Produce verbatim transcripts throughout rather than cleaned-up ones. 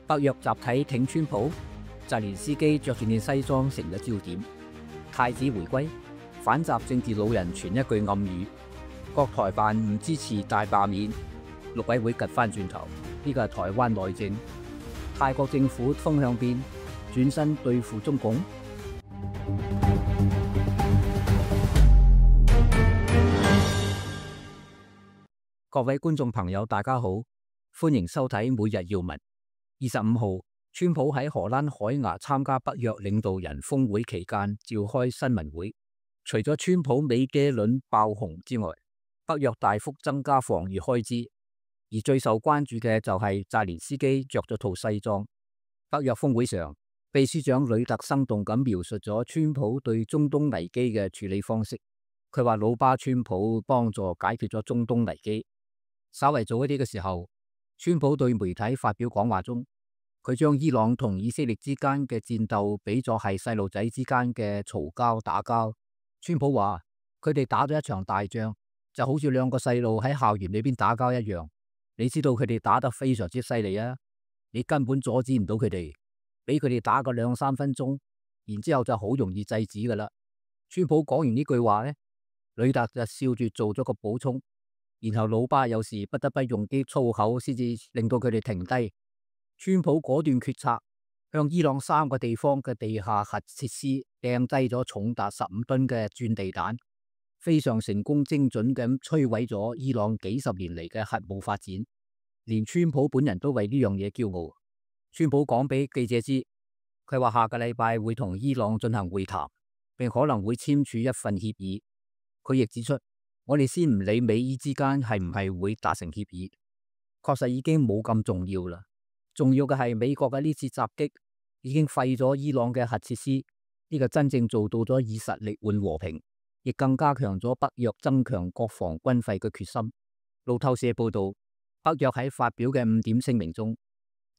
北約集體挺川普，澤連斯基着住件西裝成咗焦點。太子回歸，反習政治老人傳一句暗語：國台辦唔支持大罷免。陸委會趌翻轉頭，呢個係台灣內政。泰國政府風向變，轉身對付中共。各位觀眾朋友，大家好，歡迎收睇每日要聞。二十五號，川普喺荷蘭海牙參加北約領導人峰會期間召開新聞會，除咗川普美茄輪爆紅之外，北約大幅增加防禦開支，而最受關注嘅就係澤連斯基着咗套西裝。北約峰會上，秘書長呂特生動咁描述咗川普對中東危機嘅處理方式。佢話老爸川普幫助解決咗中東危機。稍為早一啲嘅時候，川普對媒體發表講話中，佢將伊朗同以色列之間嘅戰鬥比作係細路仔之間嘅嘈交打交。川普話佢哋打咗一場大仗，就好似兩個細路喺校園裏邊打交一樣。你知道佢哋打得非常之犀利啊，你根本阻止唔到佢哋，俾佢哋打個兩三分鐘，然之後就好容易制止噶啦。川普講完呢句話呢，呂特就笑住做咗個補充。然後老爸有時不得不用啲粗口先至令到佢哋停低。川普果斷決策，向伊朗三個地方嘅地下核設施掟低咗重達十五噸嘅鑽地彈，非常成功精準咁摧毀咗伊朗幾十年嚟嘅核武發展。連川普本人都為呢樣嘢驕傲。川普講俾記者知，佢話下個禮拜會同伊朗進行會談，並可能會簽署一份協議。佢亦指出，我哋先唔理美伊之間係唔係會達成協議，確實已經冇咁重要啦。重要嘅係美國嘅呢次襲擊已經廢咗伊朗嘅核設施，呢個真正做到咗以實力換和平，亦更加強咗北約增強國防軍費嘅決心。路透社報道，北約喺發表嘅五點聲明中，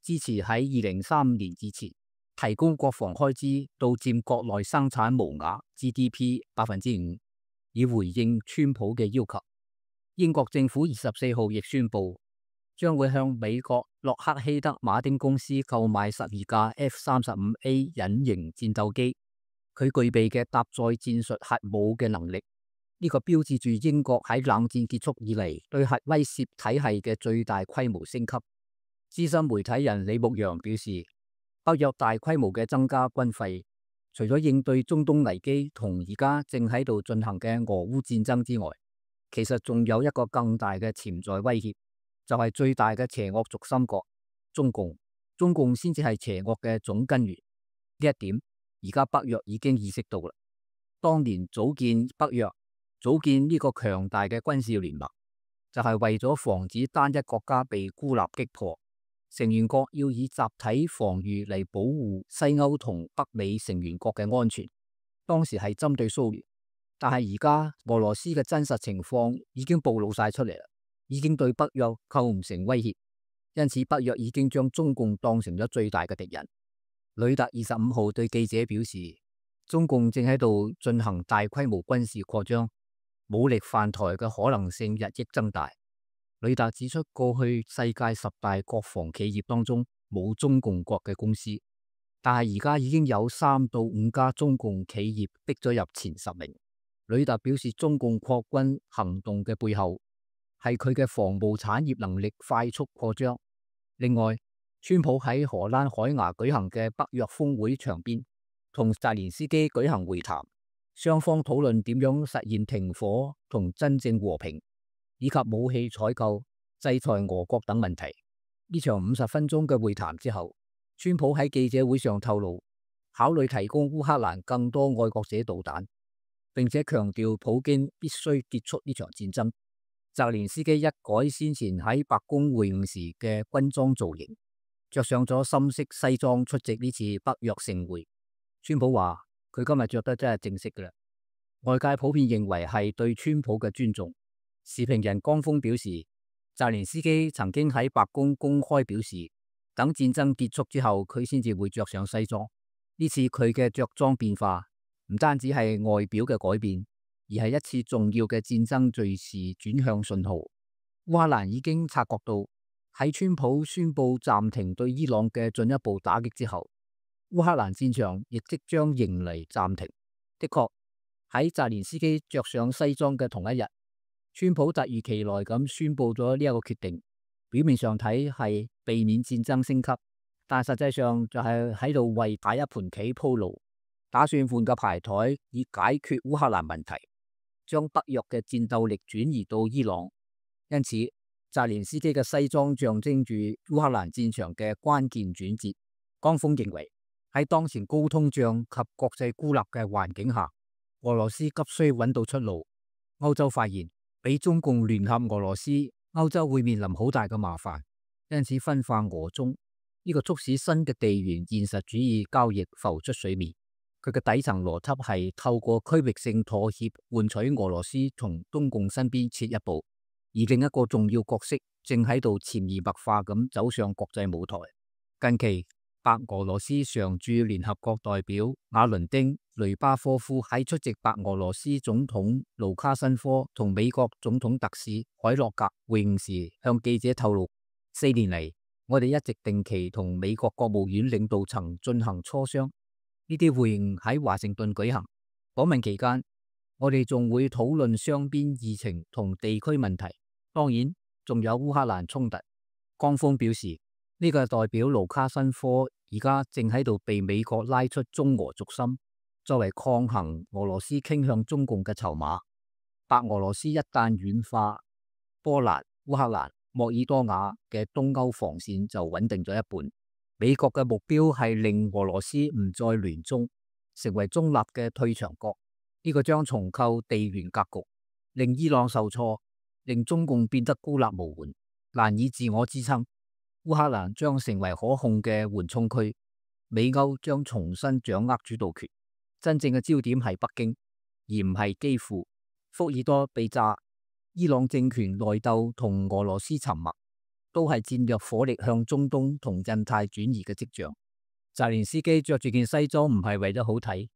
支持喺二零三五年之前提供國防開支到佔國內生產毛額 G D P 百分之五。以回應川普嘅要求。英國政府二十四號亦宣布，將會向美國洛克希德馬丁公司購買十二架 F 三十五 A 隱形戰鬥機。佢具備嘅搭載戰術核武嘅能力，呢個標誌住英國喺冷戰結束以嚟對核威懾體系嘅最大規模升級。資深媒體人李牧陽表示，北約大規模嘅增加軍費，除咗應對中東危機同而家正喺度進行嘅俄烏戰爭之外，其實仲有一個更大嘅潛在威脅，就係最大嘅邪惡軸心國中共。中共先至係邪惡嘅總根源。呢一點而家北約已經意識到啦。當年組建北約、組建呢個強大嘅軍事聯盟，就係為咗防止單一國家被孤立擊破。成員國要以集體防禦嚟保護西歐同北美成員國嘅安全。當時係針對蘇聯，但係而家俄羅斯嘅真實情況已經暴露晒出嚟啦，已經對北約構唔成威脅。因此北約已經將中共當成咗最大嘅敵人。呂特二十五號對記者表示，中共正喺度進行大規模軍事擴張，武力犯台嘅可能性日益增大。呂特指出，過去世界十大國防企業當中冇中共國嘅公司，但係而家已經有三到五家中共企業逼咗入前十名。呂特表示，中共擴軍行動嘅背後係佢嘅防務產業能力快速擴張。另外，川普喺荷蘭海牙舉行嘅北約峰會場邊，同澤連斯基舉行會談，雙方討論點樣實現停火同真正和平，以及武器採購、制裁俄國等問題。呢場五十分鐘嘅會談之後，川普喺記者會上透露，考慮提供烏克蘭更多愛國者導彈，並且強調普京必須結束呢場戰爭。澤連斯基一改先前喺白宮會晤時嘅軍裝造型，着上咗深色西裝出席呢次北約盛會。川普話佢今日着得真係正式噶啦，外界普遍認為係對川普嘅尊重。時評人江峰表示，澤連斯基曾經喺白宮公開表示，等戰爭結束之後，佢先至會着上西裝。呢次佢嘅着裝變化唔單止係外表嘅改變，而係一次重要嘅戰爭敘事轉向信號。烏克蘭已經察覺到喺川普宣布暫停對伊朗嘅進一步打擊之後，烏克蘭戰場亦即將迎嚟暫停。的確，喺澤連斯基着上西裝嘅同一日，川普突如其來咁宣布咗呢一個決定。表面上睇係避免戰爭升級，但實際上就係喺度為打一盤棋鋪路，打算換個牌台以解決烏克蘭問題，將北約嘅戰鬥力轉移到伊朗。因此，澤連斯基嘅西裝象徵住烏克蘭戰場嘅關鍵轉折。江峰認為，喺當前高通脹及國際孤立嘅環境下，俄羅斯急需揾到出路。歐洲發現，俾中共聯合俄羅斯，歐洲會面臨好大嘅麻煩，因此分化俄中呢個促使新嘅地緣現實主義交易浮出水面。佢嘅底層邏輯係透過區域性妥協換取俄羅斯從中共身邊撤一步。而另一個重要角色正喺度潛移默化咁走上國際舞台。近期，白俄羅斯常駐聯合國代表瓦倫丁·雷巴科夫喺出席白俄羅斯總統盧卡申科同美國總統特使海洛格會晤時，向記者透露：四年嚟，我哋一直定期同美國國務院領導層進行磋商，呢啲會晤喺華盛頓舉行。訪問期間，我哋仲會討論雙邊議程同地區問題。當然，仲有烏克蘭衝突。江峰表示，呢、這個代表盧卡申科而家正喺度被美國拉出中俄軸心，作為抗衡俄羅斯傾向中共嘅籌碼。白俄羅斯一旦軟化，波蘭、烏克蘭、莫爾多瓦嘅東歐防線就穩定咗一半。美國嘅目標係令俄羅斯唔再聯中，成為中立嘅退場國。呢、這個將重構地緣格局，令伊朗受挫，令中共變得孤立無援，難以自我支撐。烏克蘭將成為可控嘅緩衝區，美歐將重新掌握主導權。真正嘅焦點係北京，而唔係基輔。福爾多被炸，伊朗政權內鬥同俄羅斯沉默，都係戰略火力向中東同印太轉移嘅跡象。澤連斯基着住件西裝唔係為咗好睇，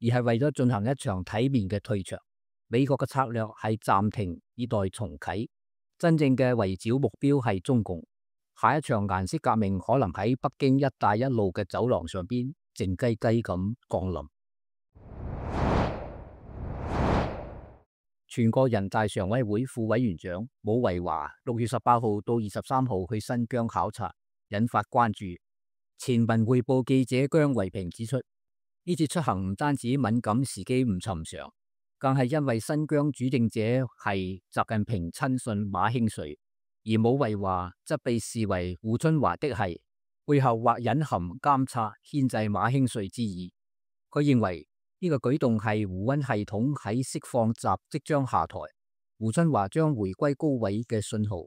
而係為咗進行一場體面嘅退場。美國嘅策略係暫停以待重啟，真正嘅圍剿目標係中共。下一場顏色革命可能喺北京一帶一路嘅走廊上邊靜雞雞咁降臨。全國人大常委會副委員長武維華六月十八號到二十三號去新疆考察，引發關注。前文匯報記者姜維平指出，呢次出行唔單止敏感時機唔尋常，更係因為新疆主政者係習近平親信馬興瑞，而武維華則被視為胡春華的係背後或隱含監察牽制馬興瑞之意。佢認為呢個舉動係胡溫系統喺釋放習即將下台，胡春華將回歸高位嘅信號。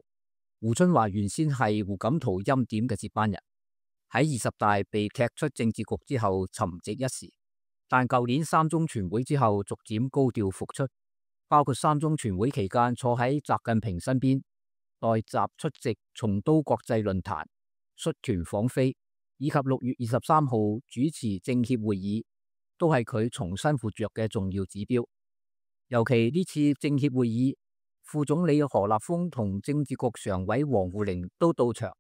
胡春華原先係胡錦濤欽點嘅接班人，喺二十大被踢出政治局之後沉寂一時，但舊年三中全會之後逐漸高調復出，包括三中全會期間坐喺習近平身邊，代習出席松都國際論壇、率團訪菲，以及六月二十三號主持政協會議，都係佢重新活躍嘅重要指標。尤其呢次政協會議，副總理何立峰同政治局常委王滬寧都到場，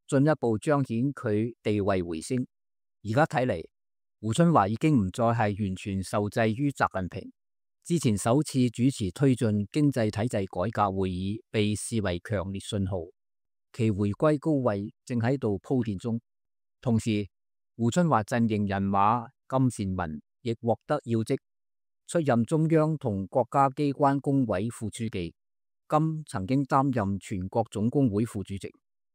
進一步彰顯佢地位回升。而家睇嚟，胡春華已經唔再係完全受制於習近平。之前首次主持推進經濟體制改革會議，被視為強烈信號，其回歸高位正喺度鋪墊中。同時，胡春華陣營人馬金善民亦獲得要職，出任中央同國家機關工委副書記。金曾經擔任全國總工會副主席，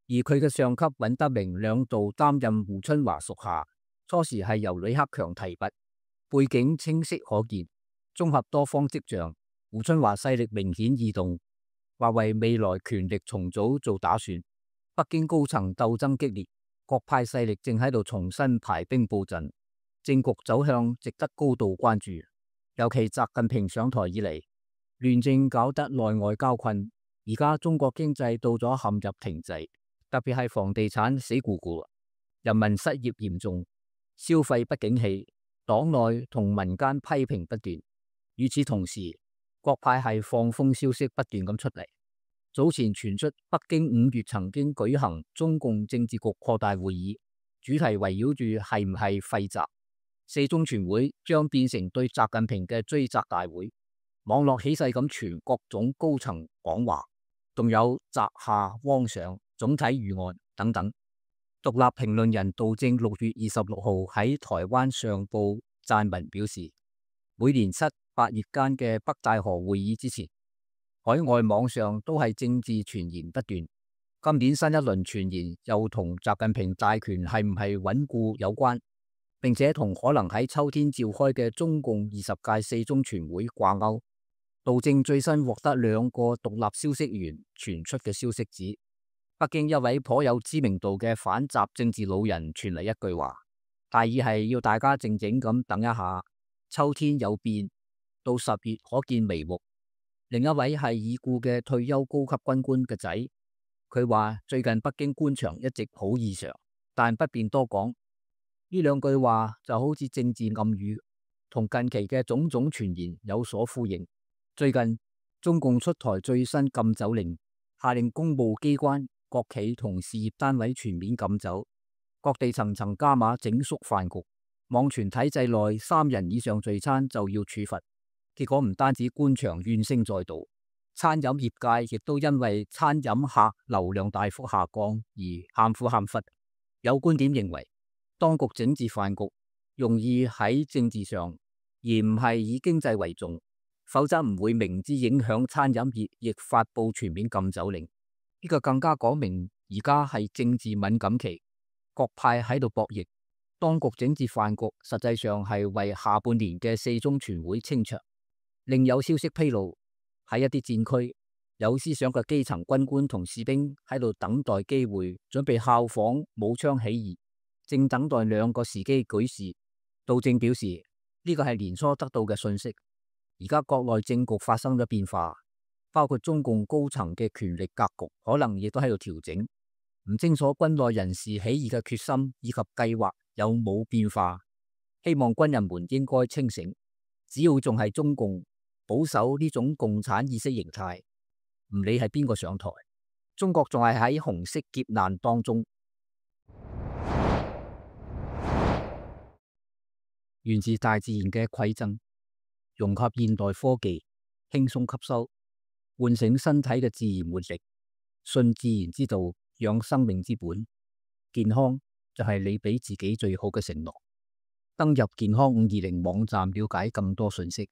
而佢嘅上級尹德明兩度擔任胡春華屬下，初時係由李克強提拔，背景清晰可見。綜合多方跡象，胡春華勢力明顯異動，話為未來權力重組做打算。北京高層鬥爭激烈，各派勢力正喺度重新排兵布陣，政局走向值得高度關注。尤其習近平上台以嚟，亂政搞得內外交困，而家中國經濟到咗陷入停滯，特別係房地產死咕咕，人民失業嚴重，消費不景氣，黨內同民間批評不斷。與此同時，各派係放風消息不斷咁出嚟，早前傳出北京五月曾經舉行中共政治局擴大會議，主題圍繞住係唔係廢習，四中全會將變成對習近平嘅追責大會。網絡起勢咁傳各種高層講話，仲有習下汪上總體預案等等。獨立評論人杜正六月二十六號喺台灣上報撰文表示，每年七八月間嘅北戴河會議之前，海外網上都係政治傳言不斷。今年新一輪傳言又同習近平大權係唔係穩固有關，並且同可能喺秋天召開嘅中共二十屆四中全會掛鈎。杜正最新獲得兩個獨立消息源傳出嘅消息指，北京一位頗有知名度嘅反習政治老人傳嚟一句話，大意係要大家靜靜咁等一下，秋天有變，到十月可見眉目。另一位係已故嘅退休高級軍官嘅仔，佢話最近北京官場一直好異常，但不便多講。呢兩句話就好似政治暗語，同近期嘅種種傳言有所呼應。最近中共出台最新禁酒令，下令公務機關、國企同事業單位全面禁酒，各地層層加碼整肅飯局，網傳體制內三人以上聚餐就要處罰。結果唔單止官場怨聲載道，餐飲業界亦都因為餐飲客流量大幅下降而喊苦喊忽。有觀點認為，當局整治飯局容易喺政治上，而唔係以經濟為重，否則唔會明知影響餐飲業亦發布全面禁酒令。呢個更加講明而家係政治敏感期，各派喺度博弈。當局整治飯局實際上係為下半年嘅四中全會清場。另有消息披露，喺一啲戰區，有思想嘅基層軍官同士兵喺度等待機會，準備效仿武昌起義，正等待兩個時機舉事。杜正表示，呢個係年初得到嘅信息。而家國內政局發生咗變化，包括中共高層嘅權力格局可能亦都喺度調整。唔清楚軍內人士起義嘅決心以及計劃有冇變化，希望軍人們應該清醒。只要仲係中共保守呢種共產意識形態，唔理係邊個上台，中國仲係喺紅色劫難當中。源自大自然嘅饋贈，融合現代科技，輕鬆吸收，喚醒身體嘅自然活力，信自然之道，養生命之本。健康就係你俾自己最好嘅承諾。登入健康五二零網站了解更多信息。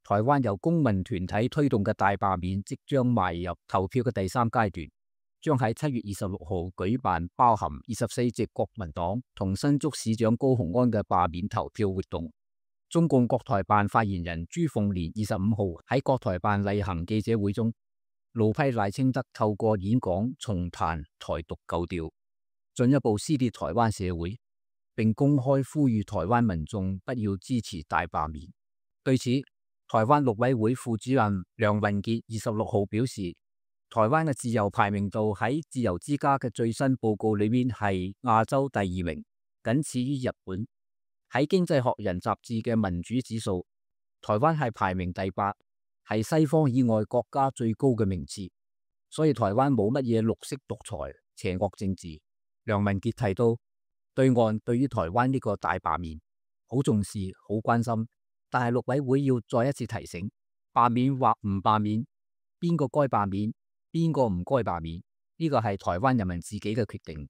台灣由公民團體推動嘅大罷免即將邁入投票嘅第三階段，將喺七月二十六號舉辦包含二十四席國民黨同新竹市長高虹安嘅罷免投票活動。中共國台辦發言人朱鳳蓮二十五號喺國台辦例行記者會中，怒批賴清德透過演講重彈台獨舊調，進一步撕裂台灣社會，並公開呼籲台灣民眾不要支持大罷免。對此，台灣陸委會副主任梁文傑二十六號表示，台灣嘅自由排名度喺自由之家嘅最新報告裏面係亞洲第二名，僅次於日本。喺經濟學人雜誌嘅民主指數，台灣係排名第八，係西方以外國家最高嘅名次。所以台灣冇乜嘢綠色獨裁、邪惡政治。梁文傑提到，對岸對於台灣呢個大罷免好重視、好關心。但係陸委會要再一次提醒，罷免或唔罷免，邊個該罷免，邊個唔該罷免，呢個係台灣人民自己嘅決定，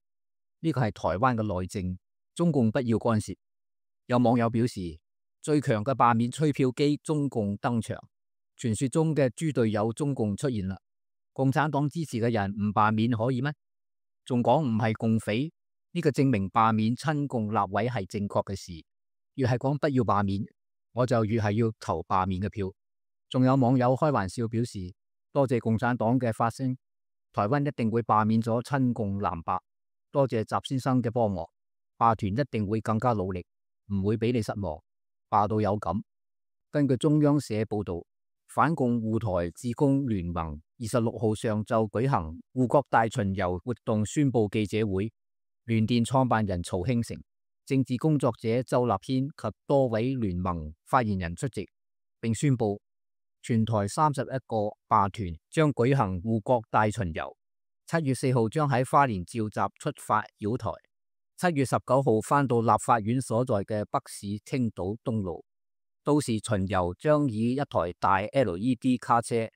呢個係台灣嘅內政，中共不要干涉。有網友表示，最強嘅罷免吹票機中共登場，傳說中嘅豬隊友中共出現啦。共產黨支持嘅人唔罷免可以咩？仲講唔係共匪，呢個證明罷免親共立委係正確嘅事。越係講不要罷免，我就越係要投罷免嘅票。仲有網友開玩笑表示，多謝共產黨嘅發聲，台灣一定會罷免咗親共藍白。多謝習先生嘅幫忙，罷團一定會更加努力，唔會俾你失望，罷到有感。根據中央社報道，反共護台志工聯盟二十六號上晝舉行護國大巡遊活動宣佈記者會，聯電創辦人曹興誠、政治工作者周立軒及多位聯盟發言人出席，並宣布全台三十一個罷團將舉行護國大巡遊。七月四號將喺花蓮召集出發繞台，七月十九號返到立法院所在嘅北市青島東路。到時巡遊將以一台大 L E D 卡車、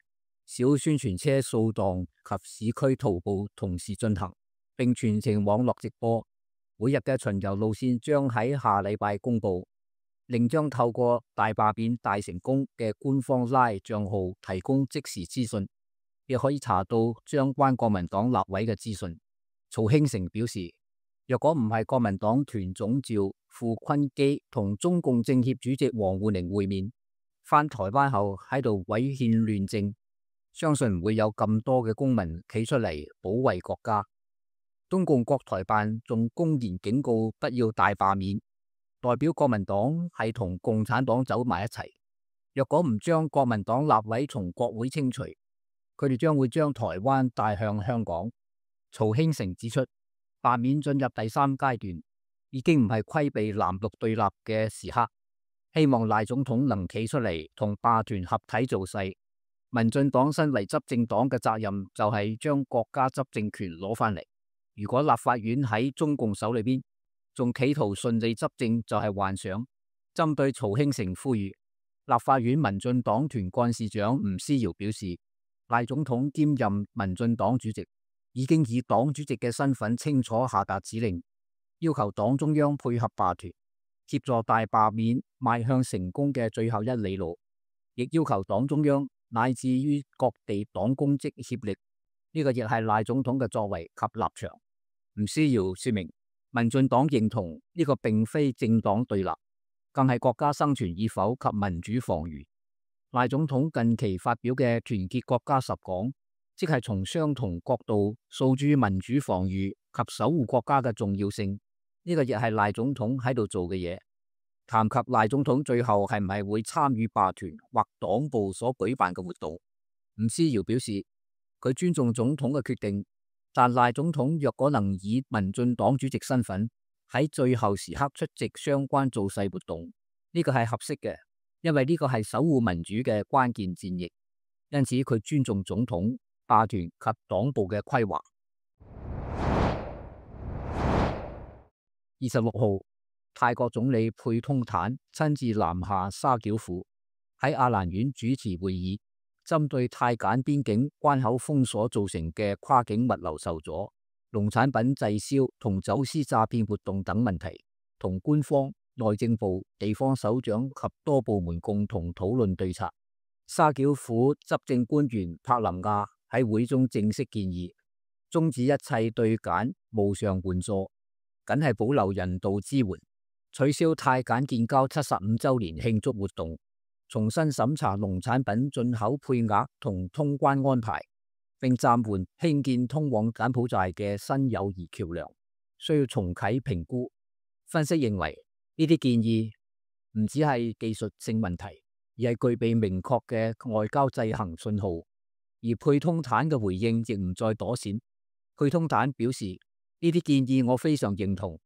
小宣傳車掃蕩及市區徒步同時進行，並全程網絡直播。每日嘅巡遊路線將喺下禮拜公佈，另將透過大罷免大成功嘅官方 LINE 賬號提供即時資訊，亦可以查到相關國民黨立委嘅資訊。曹興誠表示，若果唔係國民黨團總召傅昆基同中共政協主席王滬寧會面，返台灣後喺度違憲亂政，相信唔會有咁多嘅公民企出嚟保衛國家。中共國台辦仲公然警告不要大罷免，代表國民黨係同共產黨走埋一齊。若果唔將國民黨立委從國會清除，佢哋將會將台灣帶向香港。曹興誠指出，罷免進入第三階段，已經唔係規避藍綠對立嘅時刻，希望賴總統能企出嚟同罷團合體造勢。民進黨身為執政黨嘅責任就係將國家執政權攞返嚟。如果立法院喺中共手裏邊，仲企圖順利執政就係幻想。針對曹興誠呼籲，立法院民進黨團幹事長吳思瑤表示，賴總統兼任民進黨主席，已經以黨主席嘅身份清楚下達指令，要求黨中央配合罷團，協助大罷免邁向成功嘅最後一里路，亦要求黨中央乃至於各地黨公職協力。呢個亦係賴總統嘅作為及立場。吳思瑤說明，民進黨認同呢個並非政黨對立，更係國家生存與否及民主防禦。賴總統近期發表嘅團結國家十講，即係從相同角度訴諸民主防禦及守護國家嘅重要性。呢個亦係賴總統喺度做嘅嘢。談及賴總統最後係唔係會參與罷團或黨部所舉辦嘅活動，吳思瑤表示，佢尊重總統嘅決定，但賴總統若果能以民進黨主席身份喺最後時刻出席相關造勢活動，呢個係合適嘅，因為呢個係守護民主嘅關鍵戰役。因此佢尊重總統、罷團及黨部嘅規劃。二十六號，泰國總理佩通坦親自南下沙繳府，喺阿蘭縣主持會議，針對泰柬邊境關口封鎖造成嘅跨境物流受阻、農產品滯銷同走私詐騙活動等問題，同官方、內政部、地方首長及多部門共同討論對策。沙繳府執政官員柏林亞喺會中正式建議，終止一切對柬無償援助，僅係保留人道支援，取消泰柬建交七十五週年慶祝活動，重新審查農產品進口配額同通關安排，並暫緩興建通往柬埔寨嘅新友誼橋梁，需要重啟評估。分析認為，呢啲建議唔只係技術性問題，而係具備明確嘅外交制衡信號。而佩通坦嘅回應亦唔再躲閃。佩通坦表示，呢啲建議我非常認同，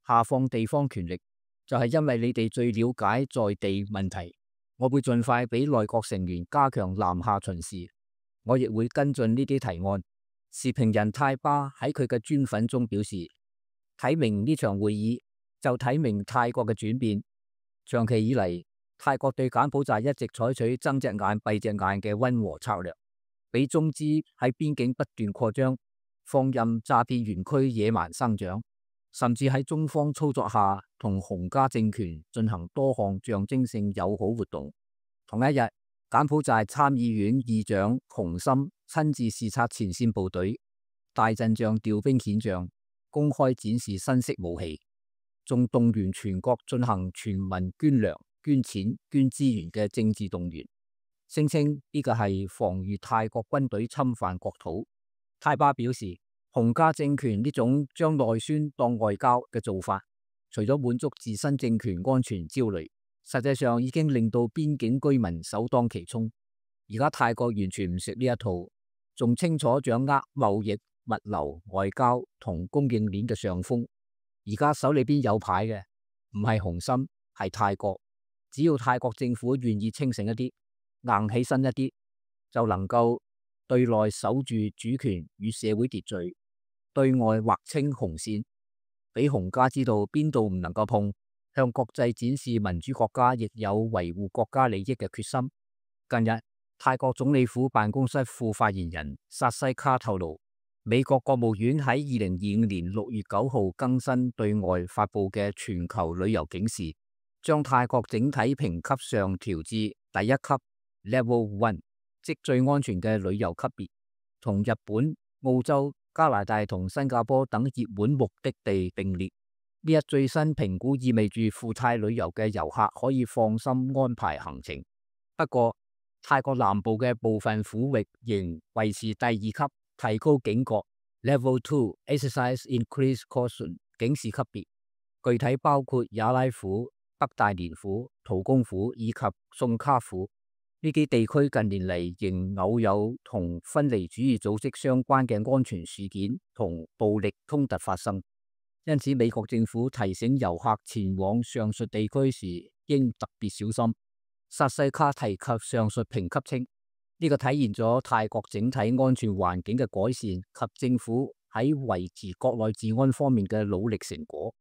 下放地方權力就係因為你哋最了解在地問題。我會盡快俾內閣成員加強南下巡視，我亦會跟進呢啲提案。時評人泰巴喺佢嘅專訪中表示，睇明呢場會議就睇明泰國嘅轉變。長期以嚟，泰國對柬埔寨一直採取睜隻眼閉隻眼嘅溫和策略，俾中資喺邊境不斷擴張，放任詐騙園區野蠻生長，甚至喺中方操作下同洪家政權進行多項象徵性友好活動。同一日，柬埔寨參議院議長洪森親自視察前線部隊，大陣仗調兵遣將，公開展示新式武器，仲動員全國進行全民捐糧、捐錢、捐資源嘅政治動員，聲稱呢個係防禦泰國軍隊侵犯國土。泰巴表示，洪家政權呢種將內宣當外交嘅做法，除咗滿足自身政權安全焦慮，實際上已經令到邊境居民首當其衝。而家泰國完全唔食呢一套，仲清楚掌握貿易、物流、外交同供應鏈嘅上風。而家手裏邊有牌嘅唔係洪森，係泰國。只要泰國政府願意清醒一啲、硬起身一啲，就能夠對內守住主權與社會秩序，對外劃清紅線，俾洪家知道邊度唔能夠碰，向國際展示民主國家亦有維護國家利益嘅決心。近日，泰國總理府辦公室副發言人薩西卡透露，美國國務院喺二零二五年六月九號更新對外發布嘅全球旅遊警示，將泰國整體評級上調至第一級 Level One， 即最安全嘅旅遊級別，同日本、澳洲、加拿大同新加坡等熱門目的地並列。呢一最新評估意味住赴泰旅遊嘅遊客可以放心安排行程。不過，泰國南部嘅部分府域仍維持第二級提高警覺 Level Two Exercise Increased Caution 警示級別，具體包括雅拉府、北大連府、圖公府以及宋卡府。呢啲地區近年嚟仍偶有同分離主義組織相關嘅安全事件同暴力衝突發生，因此美國政府提醒遊客前往上述地區時應特別小心。薩西卡提及上述評級稱，呢、這個體現咗泰國整體安全環境嘅改善及政府喺維持國內治安方面嘅努力成果，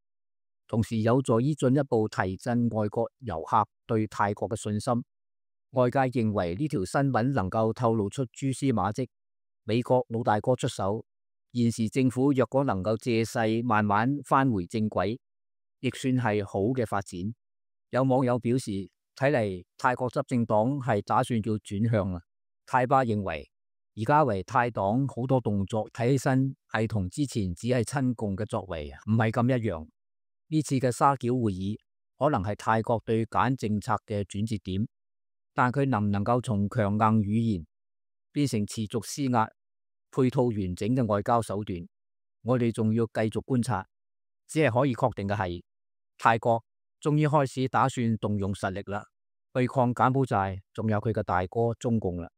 同時有助於進一步提振外國遊客對泰國嘅信心。外界認為呢條新聞能夠透露出蛛絲馬跡，美國老大哥出手，現時政府若果能夠借勢慢慢返回正軌，亦算係好嘅發展。有網友表示，睇嚟泰國執政黨係打算要轉向啦。泰巴認為，而家為泰黨好多動作睇起身係同之前只係親共嘅作為唔係咁一樣。呢次嘅沙繳會議可能係泰國對柬政策嘅轉折點，但佢能唔能夠從強硬語言變成持續施壓、配套完整嘅外交手段，我哋仲要繼續觀察。只係可以確定嘅係，泰國終於開始打算動用實力啦，對抗柬埔寨，仲有佢嘅大哥中共啦。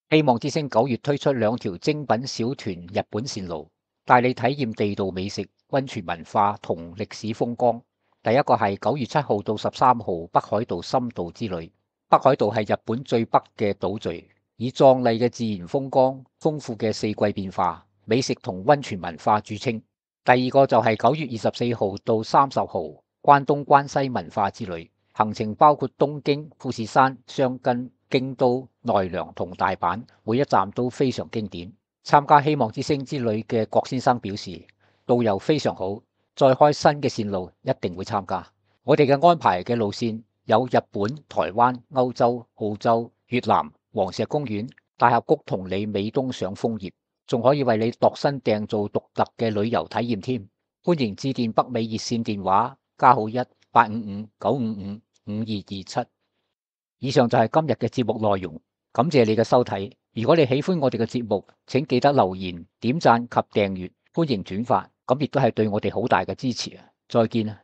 希望之星九月推出兩條精品小團日本線路，帶你體驗地道美食、溫泉文化同歷史風光。第一個係九月七號到十三號北海道深度之旅。北海道係日本最北嘅島嶼，以壯麗嘅自然風光、豐富嘅四季變化、美食同溫泉文化著稱。第二個就係九月二十四號到三十號關東關西文化之旅，行程包括東京、富士山、箱根、京都、奈良同大阪，每一站都非常經典。參加希望之星之旅嘅郭先生表示，導遊非常好，再開新嘅線路一定會參加。我哋嘅安排嘅路線有日本、台灣、歐洲、澳洲、越南、黃石公園、大峽谷同你美東賞楓葉，仲可以為你度身訂造獨特嘅旅遊體驗添。歡迎致電北美熱線電話加號一八五五九五五五二二七。以上就係今日嘅節目內容，感謝你嘅收睇。如果你喜歡我哋嘅節目，請記得留言、點讚及訂閱，歡迎轉發，咁亦都係對我哋好大嘅支持啊！再見啊！